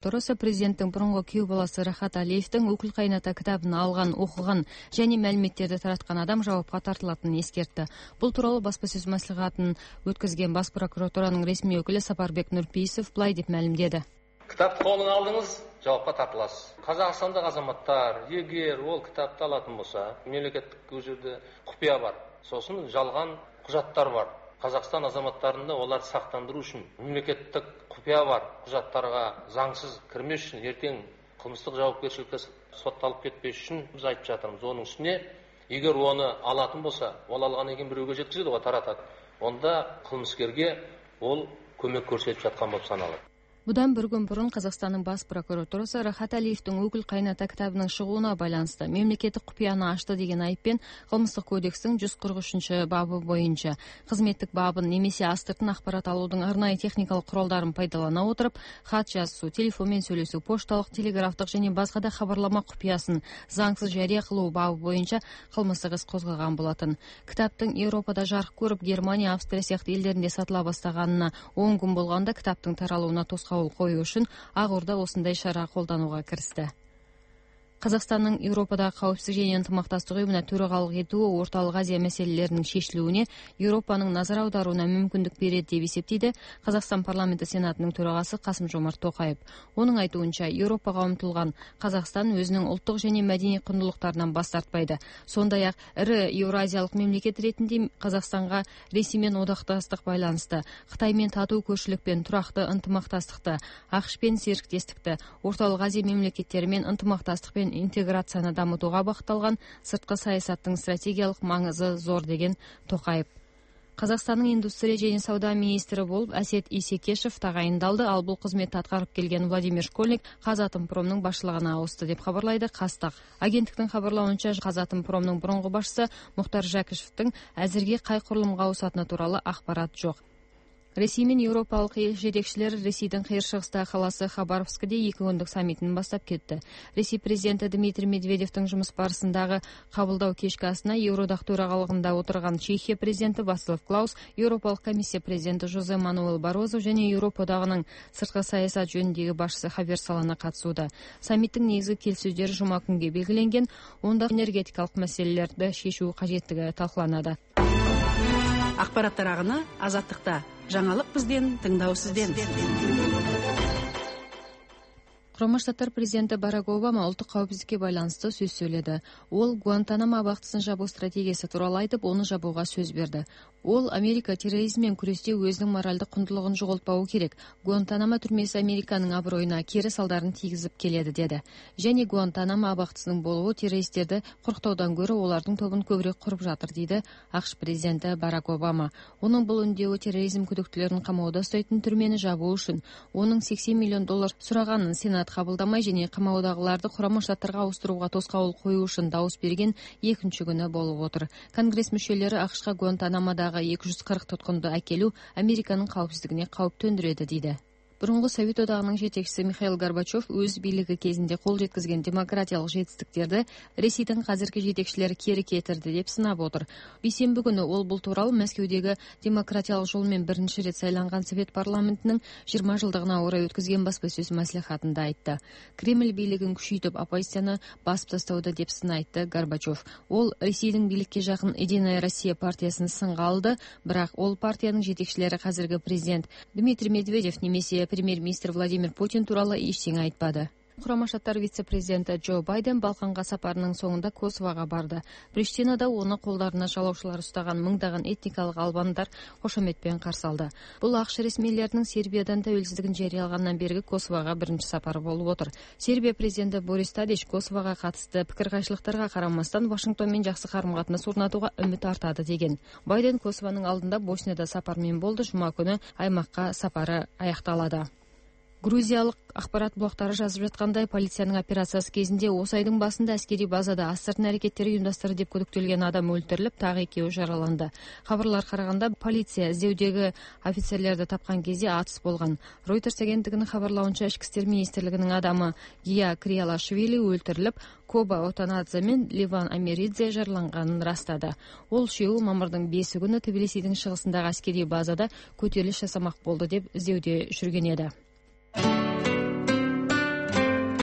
Тороса президенттин мурунку күйөө баласы Рахат Алиевдин «Өкүл кайната» китабын алган, окуган және маалиметтерди тараткан адам жоопко тартылатынын эскертти. Бул тууралуу баспа сөз маслихатын өткөзгөн бас прокуратуранын ресмий өкүлү Сапарбек Нурпейисов былай деп маалимдеди. Китапты колуңа алдыңыз, жоопко тартыласыз. Казакстандык азаматтар, эгер ол китапты алатын болсо, мемлекеттик бул жерде купуя бар. Сосын жалган кужаттар бар. Казакстан азаматтарында оларды сактандыруу үчүн мемлекеттик купуя бар кужаттарга заңсыз кирмеш үчүн эртең кылмыштык жоопкерчиликке сотталып кетпеш үчүн биз айтып жатырмыз. Онун үстүнө эгер оны алатын болсо, ол алгандан кийин бирөөгө жеткизет, ого таратат. Онда кылмыскерге ол көмөк көрсөтүп жаткан болуп саналат. Будан бир күн мурун Казакстандын бас прокуратурасы Рахат Алиевдин «Өкүл кайната» китабынын чыгууна байланыштуу мемлекеттик купуяны ачты деген айыппен Кылмыштык кодекстин 143 бабы боюнча кызметтик бабын немесе астыртын акпарат алуудун арнайы техникалык куралдарын пайдалана отуруп, кат жазуу, телефон менен сүйлөшүү, пошталык, телеграфтык және башка да кабарлама купуясын заңсыз жарыя кылуу бабы боюнча кылмыштык иш козгогон болотун. Китаптын Европада жарык көрүп, Германия, Австрия сыяктуу элдеринде сатыла баштаганына 10 күн болгондо китаптын таралууна тоскоол коюу үчүн Ак Орда осундай чара колдонууга киришти. Казакстандын Европадагы кауіпсіздік және ынтымакташтык уюмуна төрагалык этүү Ортолук Азия маселелеринин шешилүүнө Европанын назар аударууна мүмкүндүк берет деп эсептейди Казакстан парламенти сенатынын төрагасы Касым-Жомарт Токаев. Онун айтуунча, Европага умтулган Казакстан өзүнүн улуттук және маданий кундулуктарынан баш тартпайды. Сондай ак ири Евразиялык мемлекет ретинде Казакстанга Ресей менен одакташтык байланышты, Кытай менен татуу көршүлүк пен турактуу ынтымакташтыкты, АКШ пен сериктестикти, Ортолук Азия мемлекеттери менен ынтымакташтык пен интеграцияны дамытууга багытталган сырткы саясаттын стратегиялык маңызы зор деген Токаев. Казакстандын индустрия және сауда министри болуп Асет Исекешев тагайындалды. Ал бул кызметти аткарып келген Владимир Школьник Казатомпромдун башчылыгына ауысты деп кабарлайды Кастак. Агенттиктин кабарлауынча, Казатомпромдун мурунку башчысы Мухтар Жакишевдин азыркы кай курулумга ауысатыны тууралуу акбарат жок. Ресей мен Европалык эл жетекчилери Ресейдин кыйыр чыгыстагы каласы Хабаровскде 2 күндүк саммитин баштап кетти. Ресей президенти Дмитрий Медведевдин жумуш барысындагы кабылдоо кечки асына Евродак төрагалыгында отурган Чехия президенти Вацлав Клаус, Европалык комиссия президенти Жозе Мануэл Барозо және Европадагынын сырткы саясат жөнүндөгү башчысы Хавьер Солана катышууда. Саммиттин негизги келишүүлөрү жума күнгө белгиленген. Онда энергетикалык маселелерди шешүү кажеттиги талкууланады. Акпараттар агыны Азаттыкта. Жаңалык бизден, тыңдоо сизден. Курама Штаттар президенти Барак Обама улуттук кауіпсіздікке байланысты сөз сөйледі. Ол Гуантанамо абактысын жабуу стратегиясы тууралуу айтып, оны жабууга сөз берди. Ол Америка терроризммен күрөштө өзүнүн моралдык кундулугун жоголтпоо керек. Гуантанамо түрмөсү Американын аброюна кери салдарын тийгизип келеди, деди. Және Гуантанамо абактысынын болуу террористтерди корктоодон көрө олардын тобун көбүрөөк куруп жатыр, дейди АКШ президенти Барак Обама. Онун бул үндөөү терроризм күдүктүүлөрүн камоодо устойтун түрмөнү жабуу үчүн onun $80 миллион сураганын Сенат кабылдамай және камаодагыларды Курама Штаттарга ауыстырууга тоскоол коюу үчүн дауыс берген 2-чү күнү болуп отур. Конгресс мүчөлөрү АКШка Гуантанамодагы 240 туткунду акелүү Американын кауіпсиздигине кауіп төндүрөдү, дейди. Бурунку Совет одагынын жетекчиси Михаил Горбачев өз бийлиги кезинде кол жеткизген демократиялык жетистиктерди Ресейдин азыркы жетекчилери кери кетирди деп сынап отур. Бейсенбі күнү ол бул тууралуу Мәскеудөгү демократиялык жол менен биринчи рет сайланган Совет парламентинин 20 жылдыгына орай өткөзгөн баспа сөз маслихатында айтты. Кремль бийлигин күчөйтүп, оппозицияны басып таштоодо деп сынайтты Горбачев. Ол Ресейдин бийликке жакын Единая Россия партиясын сынга алды, бирок ол партиянын жетекчилери азыркы президент Дмитрий Медведев немесе премьер-министр Владимир Путин тууралуу эчтене айтпады. Курама Штаттар вице-президенти Джо Байден Балканга сапарынын соңунда Косового барды. Приштинада оны колдарына жалоочулар устаган мыңдаган этникалык албандар кошометпен каршы алды. Бул АКШ ресмийлеринин Сербиядан тәуелсиздигин жарыялагандан берги Косового биринчи сапары болуп отур. Сербия президенти Борис Тадич Косового катысты пикир кайшылыктарга карамастан Вашингтон менен жакшы карым-катнаш орнотууга үмүт артады деген. Байден Косованын алдында Боснияда сапар менен болду. Жума күнү аймакка сапары аякталады. Грузиялык акпарат блоктары жазып жаткандай, полициянын операциясы кезинде осы айдын басында аскери базада астыртын аракеттери уюмдаштырды деп күдүктөлгөн адам өлтүрүлүп, тагы 2 жараланды. Кабарлар караганда, полиция издөөдөгү офицерлерди тапкан кезде атыс болгон. Reuters агенттигинин кабарлауынча, Ички иштер министрлигинин адамы Гия Криялашвили өлтүрүлүп, Коба Отанадзе мен Ливан Америдзе жараланганын растады. Ол үшөөү мамырдын 5 күнү Тбилисидин чыгысындагы аскери базада көтөрүлүш жасамак болду деп издөөдө жүргөн edi.